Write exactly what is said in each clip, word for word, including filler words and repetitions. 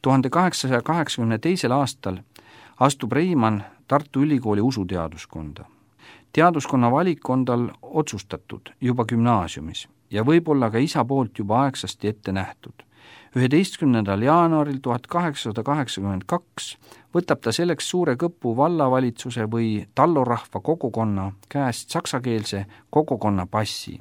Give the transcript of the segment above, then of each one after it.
tuhande kaheksasaja kaheksakümne teisel aastal astub Reimann Tartu Ülikooli usuteaduskonda. Teaduskonna valik on tal otsustatud juba gümnaasiumis ja võib-olla ka isa poolt juba aegsasti ette nähtud. üheteistkümnendal jaanuaril tuhat kaheksasada kaheksakümmend kaks võtab ta selleks suure Kõpu vallavalitsuse või tallorahva kogukonna käest saksakeelse kogukonna passi,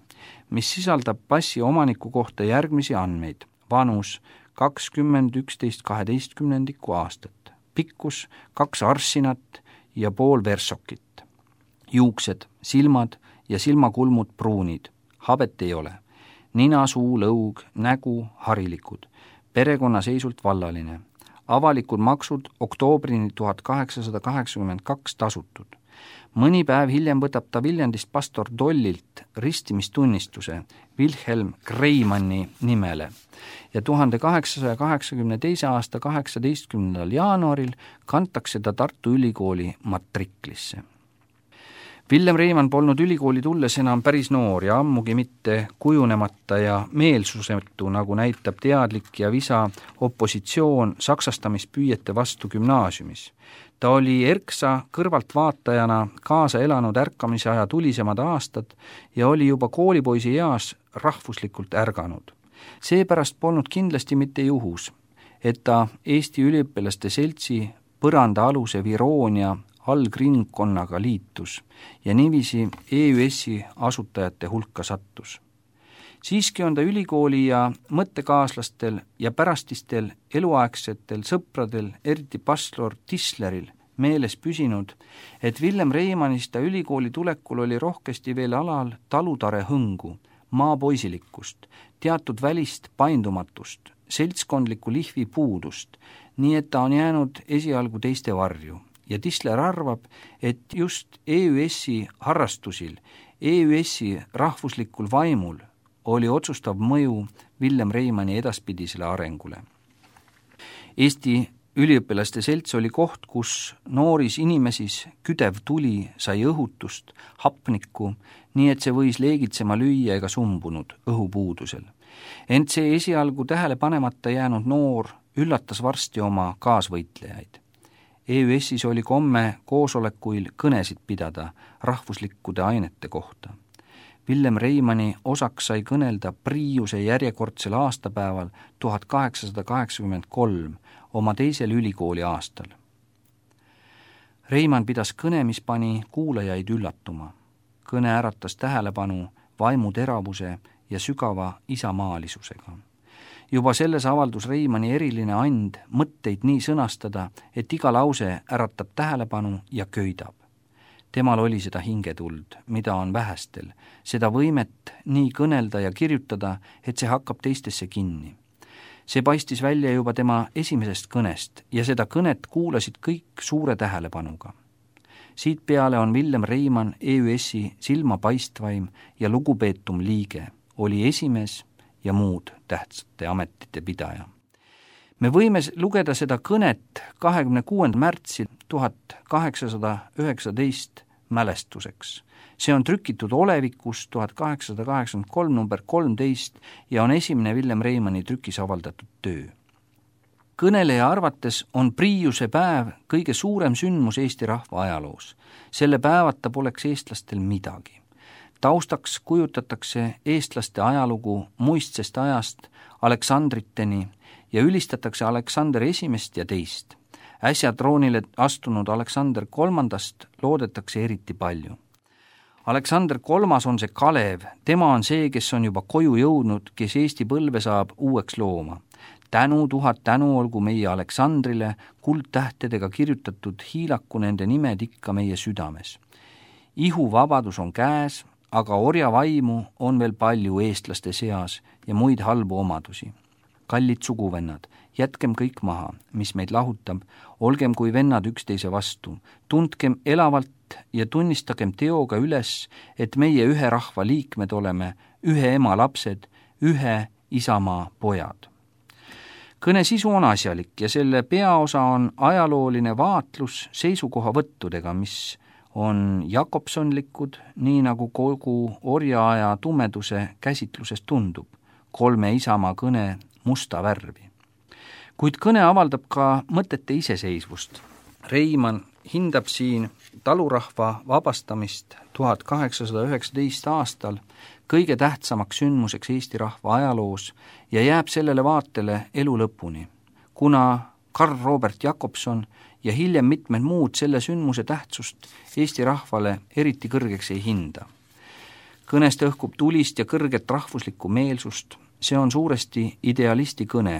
mis sisaldab passi omaniku kohta järgmisi andmeid: vanus kakskümmend üksteist kaheteistkümnendikku aastat, pikkus kaks arsinat ja pool versokit, juuksed, silmad ja silmakulmud pruunid, habet ei ole, nina, suu, lõug, nägu harilikud, perekonnaseisult vallaline, avalikud maksud oktoobrini tuhat kaheksasada kaheksakümmend kaks tasutud. Mõni päev hiljem võtab ta Viljandist pastor Dollilt ristimistunnistuse Wilhelm Greimanni nimele ja tuhande kaheksasaja kaheksakümne teise aasta kaheksateistkümnendal jaanuaril kantakse ta Tartu Ülikooli matriklisse. Villem Reimann polnud ülikooli tulles enam päris noor ja ammugi mitte kujunemata ja meelsusetu, nagu näitab teadlik ja visa opositsioon saksastamispüüete vastu gümnaasiumis. Ta oli erksa kõrvaltvaatajana kaasa elanud ärkamise aja tulisemad aastad ja oli juba koolipoisi eas rahvuslikult ärganud. Seepärast polnud kindlasti mitte juhus, et ta Eesti üliõpilaste seltsi põranda aluse Viroonia algringkonnaga liitus ja niiviisi E Ü S-i asutajate hulka sattus. Siiski on ta ülikooli ja mõttekaaslastel ja pärastistel eluaegsetel sõpradel, eriti pastor Tisleril, meeles püsinud, et Villem Reimannist ta ülikooli tulekul oli rohkesti veel alal talutare hõngu, maapoisilikkust, teatud välist paindumatust, seltskondliku lihvi puudust, nii et ta on jäänud esialgu teiste varju. Ja Tisler arvab, et just E Ü S-i harrastusil, E Ü S-i rahvuslikul vaimul oli otsustav mõju Villem Reimanni edaspidisele arengule. Eesti üliõpilaste selts oli koht, kus nooris inimesis küdev tuli sai õhutust, hapnikku, nii et see võis leegitsema lüüa ega sumbunud õhupuudusel. Ent see esialgu tähele panemata jäänud noor üllatas varsti oma kaasvõitlejaid. E Ü S-is oli komme koosolekuil kõnesid pidada rahvuslikkude ainete kohta. Villem Reimanni osaks sai kõnelda Priiuse järjekordsel aastapäeval tuhat kaheksasada kaheksakümmend kolm oma teisel ülikooli aastal. Reimann pidas kõne, mis pani kuulajaid üllatuma. Kõne äratas tähelepanu vaimu teravuse ja sügava isamaalisusega. Juba selles avaldus Reimanni eriline and mõtteid nii sõnastada, et iga lause äratab tähelepanu ja köidab. Temal oli seda hingetuld, mida on vähestel, seda võimet nii kõnelda ja kirjutada, et see hakkab teistesse kinni. See paistis välja juba tema esimesest kõnest ja seda kõnet kuulasid kõik suure tähelepanuga. Siit peale on Villem Reimann E Ü S-i silmapaistvaim ja lugupeetum liige, oli esimees ja muud tähtsate ametite pidaja. Me võime lugeda seda kõnet kahekümne kuuendal märtsil tuhat kaheksasada üheksateist mälestuseks. See on trükitud olevikus tuhat kaheksasada kaheksakümmend kolm number kolmteist ja on esimene Villem Reimanni trükis avaldatud töö. Kõneleja arvates on Priiuse päev kõige suurem sündmus Eesti rahva ajaloos. Selle päevata poleks eestlastel midagi. Taustaks kujutatakse eestlaste ajalugu muistsest ajast Aleksandriteni ja ülistatakse Aleksander esimest ja teist. Äsja troonile astunud Aleksander kolmandast loodetakse eriti palju. Aleksander kolmas on see Kalev, tema on see, kes on juba koju jõudnud, kes Eesti põlve saab uueks looma. Tänu, tuhat tänu olgu meie Aleksandrile, kuldtähtedega kirjutatud hiilaku nende nimed ikka meie südames. Ihu vabadus on käes, aga orjavaimu on veel palju eestlaste seas ja muid halbu omadusi. Kallid suguvennad, jätkem kõik maha, mis meid lahutab, olgem kui vennad üksteise vastu, tundkem elavalt ja tunnistagem teoga üles, et meie ühe rahva liikmed oleme, ühe ema lapsed, ühe isamaa pojad. Kõne sisu on asjalik ja selle peaosa on ajalooline vaatlus seisukohavõttudega, mis on Jakobsonlikud, nii nagu kogu orjaaja tumeduse käsitlusest tundub, kolme isamaa kõne musta värvi. Kuid kõne avaldab ka mõtete iseseisvust. Reimann hindab siin talurahva vabastamist tuhat kaheksasada üheksateist aastal kõige tähtsamaks sündmuseks Eesti rahva ajaloos ja jääb sellele vaatele elu lõpuni, kuna Karl Robert Jakobson ja hiljem mitmed muud selle sündmuse tähtsust Eesti rahvale eriti kõrgeks ei hinda. Kõnest õhkub tulist ja kõrget rahvuslikku meelsust, see on suuresti idealisti kõne,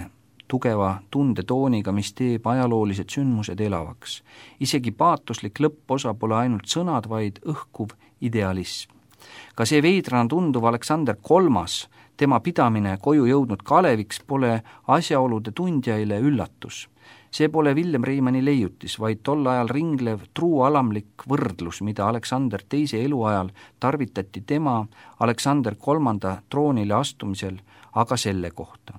tugeva tundetooniga, mis teeb ajaloolised sündmused elavaks. Isegi paatoslik lõpposa pole ainult sõnad, vaid õhkuv idealism. Ka see veidrana tunduv Aleksander kolmas, tema pidamine koju jõudnud Kaleviks pole asjaolude tundjaile üllatus. See pole Villem Reimanni leiutis, vaid tol ajal ringlev truu alamlik võrdlus, mida Aleksander teise eluajal tarvitati tema Aleksander kolmanda troonile astumisel, aga selle kohta.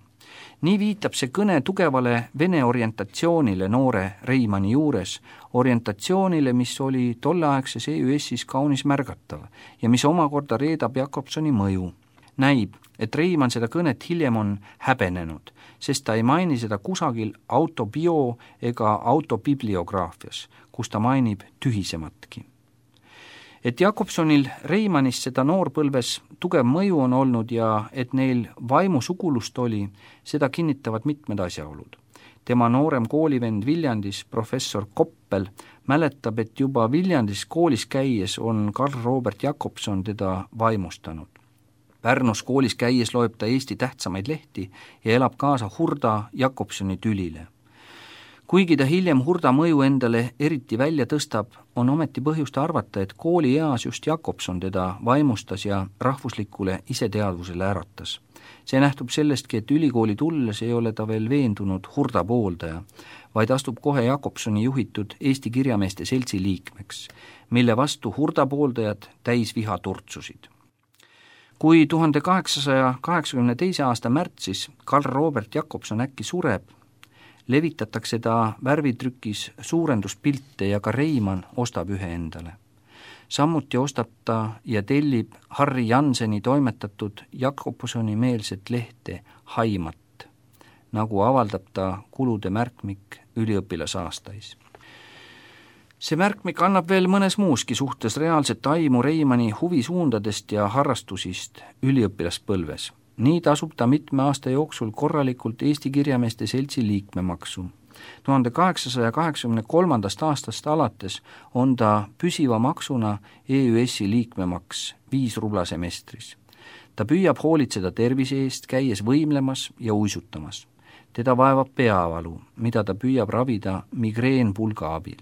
Nii viitab see kõne tugevale vene orientatsioonile noore Reimanni juures, orientatsioonile, mis oli tolleaegses E Ü S-is kaunis märgatav ja mis omakorda reedab Jakobsoni mõju. Näib, et Reimann seda kõnet hiljem on häbenenud, sest ta ei maini seda kusagil autobio- ega autobibliograafias, kus ta mainib tühisematki. Et Jakobsonil Reimannist seda noorpõlves tugev mõju on olnud ja et neil vaimusugulust oli, seda kinnitavad mitmed asjaolud. Tema noorem koolivend Viljandis, professor Koppel, mäletab, et juba Viljandis koolis käies on Karl Robert Jakobson teda vaimustanud. Pärnus koolis käies loeb ta Eesti tähtsamaid lehti ja elab kaasa Hurda Jakobsoni tülile. Kuigi ta hiljem Hurda mõju endale eriti välja tõstab, on ometi põhjust arvata, et kooli eas just Jakobson teda vaimustas ja rahvuslikule iseteadvusele äratas. See nähtub sellestki, et ülikooli tulles ei ole ta veel veendunud Hurda pooldaja, vaid astub kohe Jakobsoni juhitud Eesti kirjameeste seltsi liikmeks, mille vastu Hurda pooldajad täis viha turtsusid. Kui tuhande kaheksasaja kaheksakümne teise aasta märtsis Karl Robert Jakobson äkki sureb, levitatakse ta värvitrükis suurenduspilte ja ka Reimann ostab ühe endale. Samuti ostab ta ja tellib Harri Janseni toimetatud Jakobsoni meelset lehte Haimat, nagu avaldab ta kulude märkmik üliõpilasaastais. See märkmik annab veel mõnes muuski suhtes reaalset aimu Reimanni huvisuundadest ja harrastusist üliõpilaspõlves. Nii tasub ta mitme aasta jooksul korralikult Eesti kirjameeste seltsi liikmemaksu. tuhande kaheksasaja kaheksakümne kolmandast aastast alates on ta püsiva maksuna E Ü S-i liikmemaks viis rubla semestris. Ta püüab hoolitseda tervise eest, käies võimlemas ja uisutamas. Teda vaevab peavalu, mida ta püüab ravida migreenpulga abil.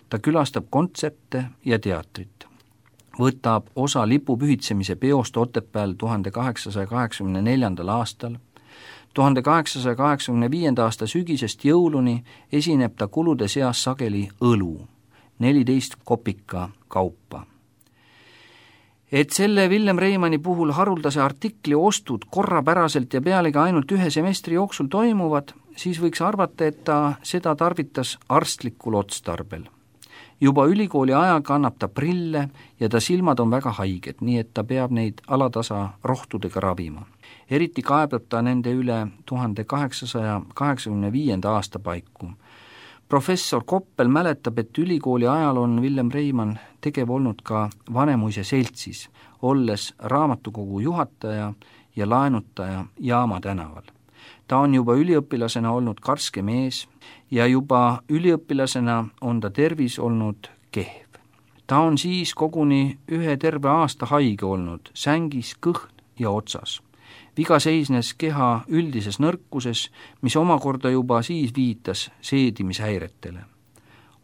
Ta külastab kontserte ja teatrit. Võtab osa lipupühitsemise peost Otepääl tuhande kaheksasaja kaheksakümne neljandal aastal. tuhande kaheksasaja kaheksakümne viienda aasta sügisest jõuluni esineb ta kulude seas sageli õlu, neliteist kopika kaupa. Et selle Villem Reimanni puhul haruldase artikli ostud korrapäraselt ja pealegi ainult ühe semestri jooksul toimuvad, siis võiks arvata, et ta seda tarvitas arstlikul otstarbel. Juba ülikooli ajal kannab ta prille ja ta silmad on väga haiged, nii et ta peab neid alatasa rohtudega ravima. Eriti kaebab ta nende üle tuhande kaheksasaja kaheksakümne viienda aasta paiku. Professor Koppel mäletab, et ülikooli ajal on Villem Reimann tegev olnud ka Vanemuise seltsis, olles raamatukogu juhataja ja laenutaja Jaama tänaval. Ta on juba üliõpilasena olnud karske mees ja juba üliõpilasena on ta tervis olnud kehv. Ta on siis koguni ühe terve aasta haige olnud, sängis, kõhn ja otsas. Viga seisnes keha üldises nõrkuses, mis omakorda juba siis viitas seedimishäiretele.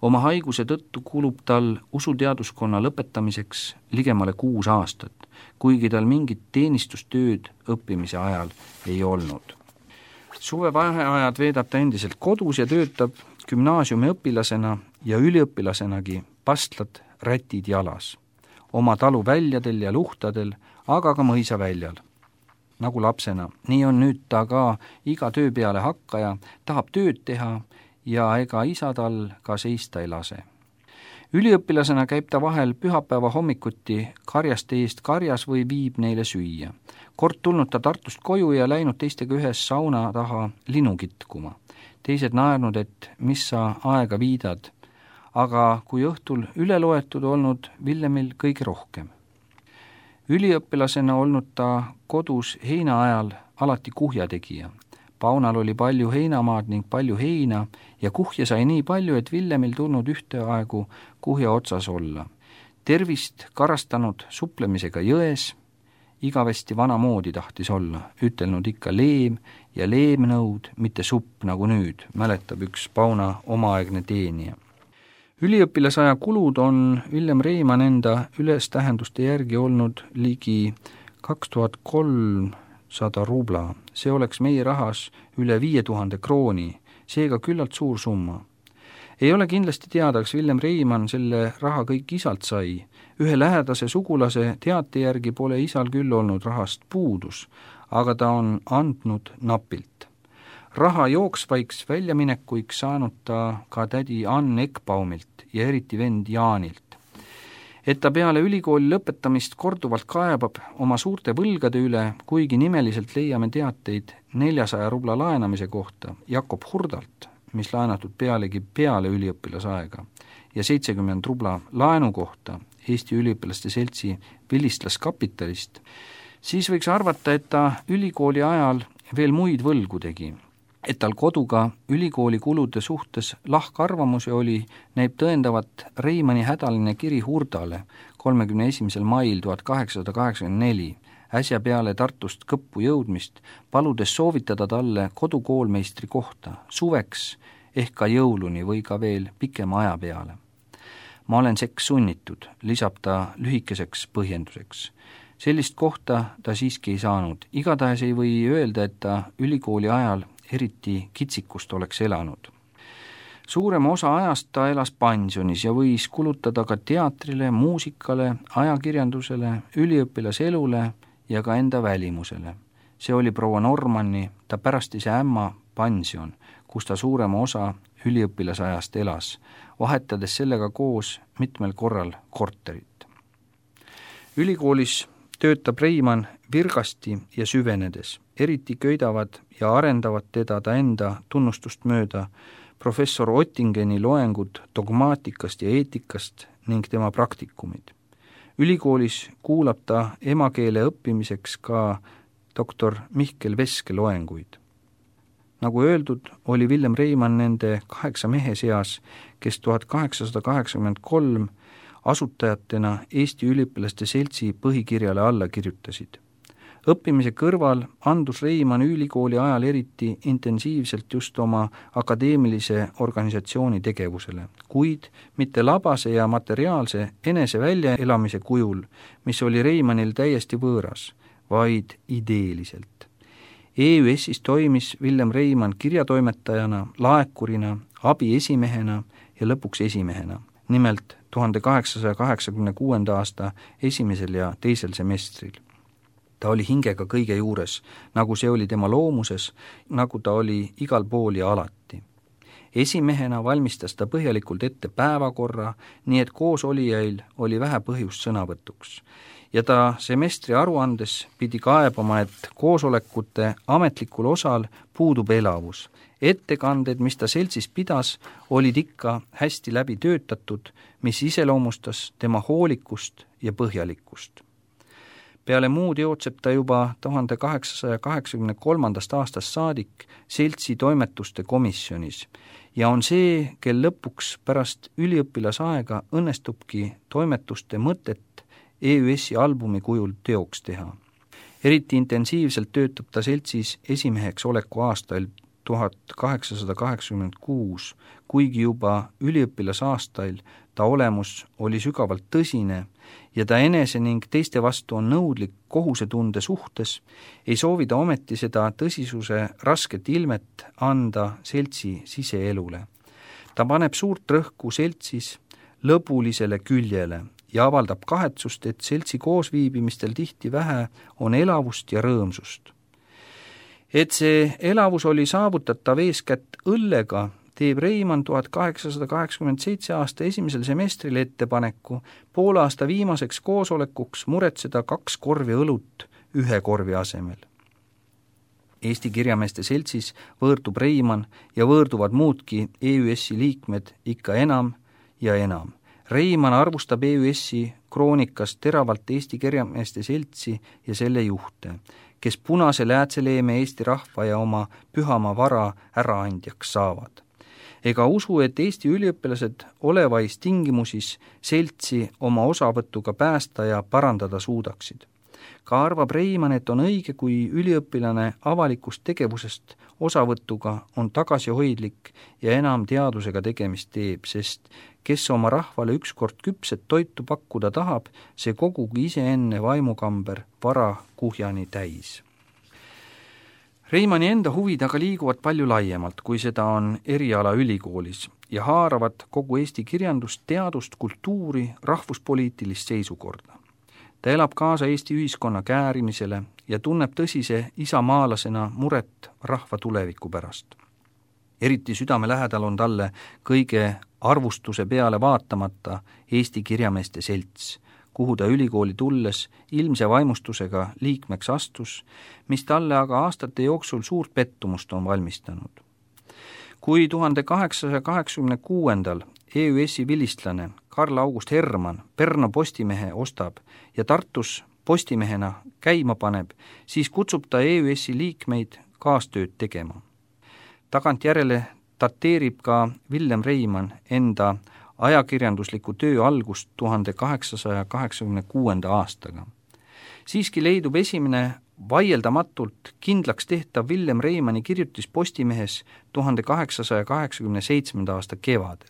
Oma haiguse tõttu kulub tal usuteaduskonna lõpetamiseks ligemale kuus aastat, kuigi tal mingit teenistustööd õppimise ajal ei olnud. Suvevaheajad veedab ta endiselt kodus ja töötab gümnaasiumi õpilasena ja üliõpilasenagi pastlad rätid jalas, oma talu väljadel ja luhtadel, aga ka mõisa väljal. Nagu lapsena, nii on nüüd ta ka iga töö peale hakkaja, tahab tööd teha ja ega isa tal ka seista ei lase. Üliõpilasena käib ta vahel pühapäeva hommikuti karjaste eest karjas või viib neile süüa. Kord tulnud ta Tartust koju ja läinud teistega ühes sauna taha linu kitkuma. teised naernud, et mis sa aega viidad, aga kui õhtul üle loetud olnud Villemil kõige rohkem. Üliõpilasena olnud ta kodus heina ajal alati kuhja tegija. Paunal oli palju heinamaad ning palju heina ja kuhja sai nii palju, et Villemil tulnud ühteaegu kuhja otsas olla. Tervist karastanud suplemisega jões, igavesti vanamoodi tahtis olla, ütelnud ikka leem ja leemnõud, mitte supp nagu nüüd, mäletab üks Pauna omaaegne teenija. Üliõpilasaja kulud on Villem Reimann enda ülestähenduste järgi olnud ligi kaks tuhat kolmsada rubla. See oleks meie rahas üle viie tuhande krooni, seega küllalt suur summa. Ei ole kindlasti teada, kas Villem Reimann selle raha kõik isalt sai. Ühe lähedase sugulase teate järgi pole isal küll olnud rahast puudus, aga ta on andnud napilt. Raha jooksvaiks väljaminekuiks saanud ta ka tädi Ann Ekbaumilt ja eriti vend Jaanilt. Et ta peale ülikooli lõpetamist korduvalt kaebab oma suurte võlgade üle, kuigi nimeliselt leiame teateid neljasaja rubla laenamise kohta Jakob Hurdalt, mis laenatud pealegi peale üliõpilasaega, ja seitsekümmend rubla laenu kohta Eesti üliõpilaste seltsi Vilistlaskapitalist, siis võiks arvata, et ta ülikooli ajal veel muid võlgu tegi. Et tal koduga ülikooli kulude suhtes lahkarvamusi oli, näib tõendavat Reimanni hädaline kiri Hurdale kolmekümne esimesel mail tuhat kaheksasada kaheksakümmend neli, äsja peale Tartust Kõppu jõudmist, paludes soovitada talle kodukoolmeistri kohta suveks ehk ka jõuluni või ka veel pikema aja peale. Ma olen seks sunnitud, lisab ta lühikeseks põhjenduseks. Sellist kohta ta siiski ei saanud. Igatahes ei või öelda, et ta ülikooli ajal eriti kitsikust oleks elanud. Suurema osa ajast ta elas pensionis ja võis kulutada ka teatrile, muusikale, ajakirjandusele, üliõpilaselule ja ka enda välimusele. See oli proua Normanni, ta pärastise ämma pension, kus ta suurema osa üliõpilasajast elas, vahetades sellega koos mitmel korral korterit. Ülikoolis töötab Reimann virgasti ja süvenedes, eriti köidavad ja arendavad teda ta enda tunnustust mööda professor Ottingeni loengud dogmaatikast ja eetikast ning tema praktikumid. Ülikoolis kuulab ta emakeele õppimiseks ka doktor Mihkel Veske loenguid. Nagu öeldud, oli Villem Reimann nende kaheksa mehe seas, kes tuhat kaheksasada kaheksakümmend kolm asutajatena Eesti üliõpilaste seltsi põhikirjale alla kirjutasid. Õppimise kõrval andus Reimann ülikooli ajal eriti intensiivselt just oma akadeemilise organisatsiooni tegevusele, kuid mitte labase ja materiaalse enese väljaelamise kujul, mis oli Reimannil täiesti võõras, vaid ideeliselt. E Ü S-is toimis Villem Reimann kirjatoimetajana, laekurina, abiesimehena ja lõpuks esimehena, nimelt tuhande kaheksasaja kaheksakümne kuuenda aasta esimesel ja teisel semestril. Ta oli hingega kõige juures, nagu see oli tema loomuses, nagu ta oli igal pool ja alati. Esimehena valmistas ta põhjalikult ette päevakorra, nii et koos olijail oli vähe põhjust sõnavõtuks. Ja ta semestri aruandes pidi kaebama, et koosolekute ametlikul osal puudub elavus. Ettekanded, mis ta seltsis pidas, olid ikka hästi läbi töötatud, mis iseloomustas tema hoolikust ja põhjalikkust. Peale muud jootseb ta juba tuhande kaheksasaja kaheksakümne kolmandast aastast saadik seltsi toimetuste komisjonis ja on see, kel lõpuks pärast üliõpilasaega õnnestubki toimetuste mõtet E Ü S-i albumi kujul teoks teha. Eriti intensiivselt töötab ta seltsis esimeheks oleku aastail tuhat kaheksasada kaheksakümmend kuus, kuigi juba üliõpilasaastail ta olemus oli sügavalt tõsine ja ta enese ning teiste vastu on nõudlik kohusetunde suhtes, ei soovi ta ometi seda tõsisuse rasket ilmet anda seltsi siseelule. Ta paneb suurt rõhku seltsis lõbulisele küljele ja avaldab kahetsust, et seltsi koosviibimistel tihti vähe on elavust ja rõõmsust. Et see elavus oli saavutatav eeskätt õllega, teeb Reimann tuhat kaheksasada kaheksakümmend seitse aasta esimesel semestril ettepaneku poole aasta viimaseks koosolekuks muretseda kaks korvi õlut ühe korvi asemel. Eesti Kirjameeste Seltsis võõrdub Reimann ja võõrduvad muudki E Ü S-i liikmed ikka enam ja enam. Reimann arvustab E Ü S-i kroonikas teravalt Eesti Kirjameeste Seltsi ja selle juhte, kes punase läätseleeme Eesti rahva ja oma pühama vara äraandjaks saavad. Ega usu, et Eesti üliõpilased olevais tingimusis seltsi oma osavõtuga päästa ja parandada suudaksid. Ka arvab Reimann, et on õige, kui üliõpilane avalikust tegevusest osavõtuga on tagasihoidlik ja enam teadusega tegemist teeb, sest kes oma rahvale ükskord küpset toitu pakkuda tahab, see kogugi iseenne vaimukamber vara kuhjani täis. Reimanni enda huvid aga liiguvad palju laiemalt, kui seda on eriala ülikoolis ja haaravad kogu Eesti kirjandust, teadust, kultuuri, rahvuspoliitilist seisukorda. Ta elab kaasa Eesti ühiskonna käärimisele ja tunneb tõsise isamaalasena muret rahva tuleviku pärast. Eriti südame lähedal on talle kõige arvustuse peale vaatamata Eesti Kirjameeste Selts, kuhu ta ülikooli tulles ilmse vaimustusega liikmeks astus, mis talle aga aastate jooksul suurt pettumust on valmistanud. Kui tuhande kaheksasaja kaheksakümne kuuendal E Ü S-i vilistlane Karl August Hermann Pärnu Postimehe ostab ja Tartus postimehena käima paneb, siis kutsub ta E Ü S-i liikmeid kaastööd tegema. Tagantjärele dateerib ka Villem Reimann enda ajakirjandusliku töö algust tuhande kaheksasaja kaheksakümne kuuenda aastaga. Siiski leidub esimene vaieldamatult kindlaks tehtav Villem Reimanni kirjutis Postimehes tuhande kaheksasaja kaheksakümne seitsmenda aasta kevadel.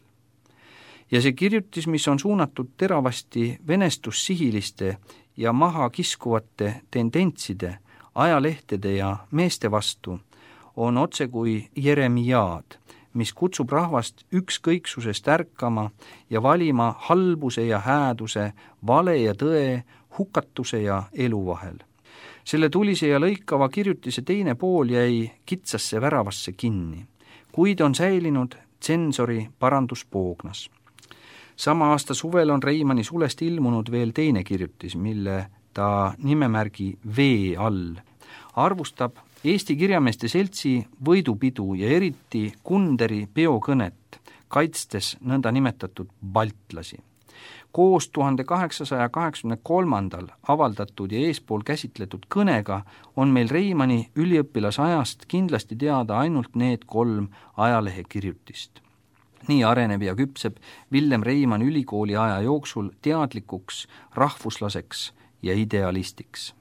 Ja see kirjutis, mis on suunatud teravasti venestussihiliste ja maha kiskuvate tendentside, ajalehtede ja meeste vastu, on otse kui Jeremiaad, mis kutsub rahvast ükskõiksusest ärkama ja valima halbuse ja hääduse, vale ja tõe, hukatuse ja elu vahel. Selle tulise ja lõikava kirjutise teine pool jäi kitsasse väravasse kinni, kuid on säilinud tsensori paranduspoognas. Sama aasta suvel on Reimanni sulest ilmunud veel teine kirjutis, mille ta nimemärgi V all arvustab Eesti Kirjameeste Seltsi võidupidu ja eriti Kunderi peokõnet, kaitstes nõnda nimetatud baltlasi. Koos tuhande kaheksasaja kaheksakümne kolmandal avaldatud ja eespool käsitletud kõnega on meil Reimanni üliõpilasajast kindlasti teada ainult need kolm ajalehekirjutist. Nii areneb ja küpseb Villem Reimann ülikooli aja jooksul teadlikuks, rahvuslaseks ja idealistiks.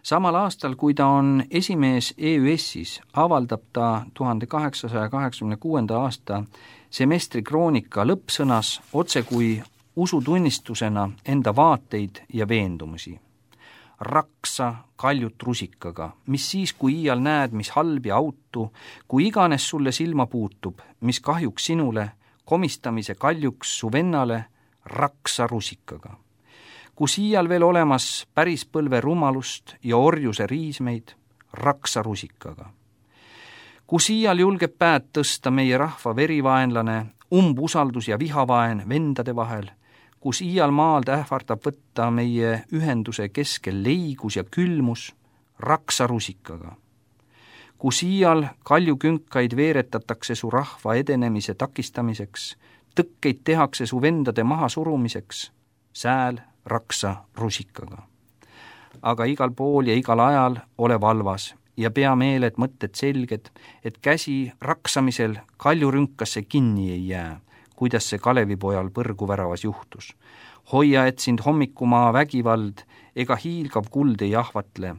Samal aastal, kui ta on esimees E Ü S-is, avaldab ta tuhande kaheksasaja kaheksakümne kuuenda aasta semestri kroonika lõppsõnas otse kui usutunnistusena enda vaateid ja veendumusi. Raksa kaljut rusikaga, mis siis, kui iial näed, mis halb ja autu, kui iganes sulle silma puutub, mis kahjuks sinule, komistamise kaljuks su vennale, raksa rusikaga. Kus iial veel olemas päris põlve rumalust ja orjuse riismeid, raksa rusikaga. Kus iial julgeb päät tõsta meie rahva verivaenlane, umbusaldus ja vihavaen vendade vahel, kus iial maald ähvardab võtta meie ühenduse keskel leigus ja külmus, raksa rusikaga. Kus iial kaljukünkaid veeretatakse su rahva edenemise takistamiseks, tõkkeid tehakse su vendade maha surumiseks, sääl raksa rusikaga. Aga igal pool ja igal ajal ole valvas ja pea meeled mõtted selged, et käsi raksamisel kaljurünkasse kinni ei jää, kuidas see Kalevipojal põrguväravas juhtus. Hoia, et sind hommikumaa vägivald ega hiilgav kuld ei ahvatle,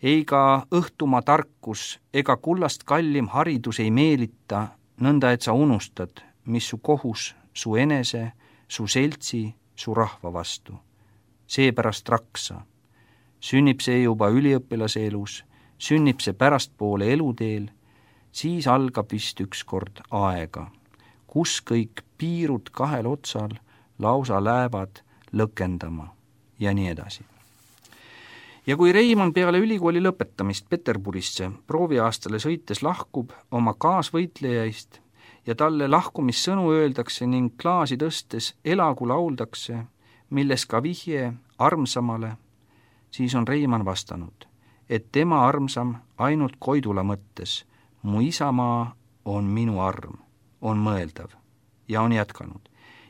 ega õhtumaa tarkus ega kullast kallim haridus ei meelita, nõnda et sa unustad, mis su kohus, su enese, su seltsi, su rahva vastu. Seepärast raksa. Sünnib see juba üliõpilase elus, sünnib see pärastpoole eluteel, siis algab vist ükskord aega, kus kõik piirud kahel otsal lausa lähevad lõkendama ja nii edasi. Ja kui Reimann peale ülikooli lõpetamist Peterburisse prooviaastale sõites lahkub oma kaasvõitlejaist ja talle lahkumissõnu öeldakse ning klaasi tõstes elagu lauldakse, milles ka vihje armsamale, siis on Reimann vastanud, et tema armsam ainult Koidula mõttes, mu isamaa on minu arm, on mõeldav ja on jätkanud.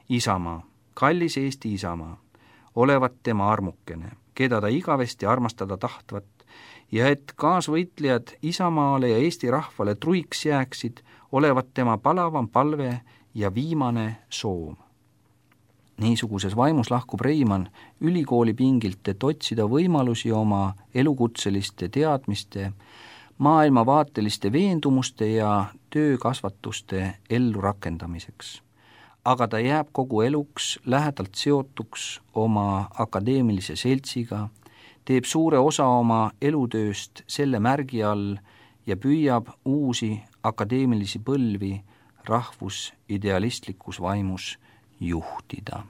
Isamaa, kallis Eesti isamaa, olevat tema armukene, keda ta igavesti armastada tahtvat, ja et kaasvõitlejad isamaale ja Eesti rahvale truiks jääksid, olevat tema palavam palve ja viimane soov. Niisuguses vaimus lahkub Reimann ülikooli pingilt, et otsida võimalusi oma elukutseliste teadmiste, maailmavaateliste veendumuste ja töökasvatuste ellu rakendamiseks. Aga ta jääb kogu eluks lähedalt seotuks oma akadeemilise seltsiga, teeb suure osa oma elutööst selle märgi all ja püüab uusi akadeemilisi põlvi rahvusidealistlikus vaimus juhtida.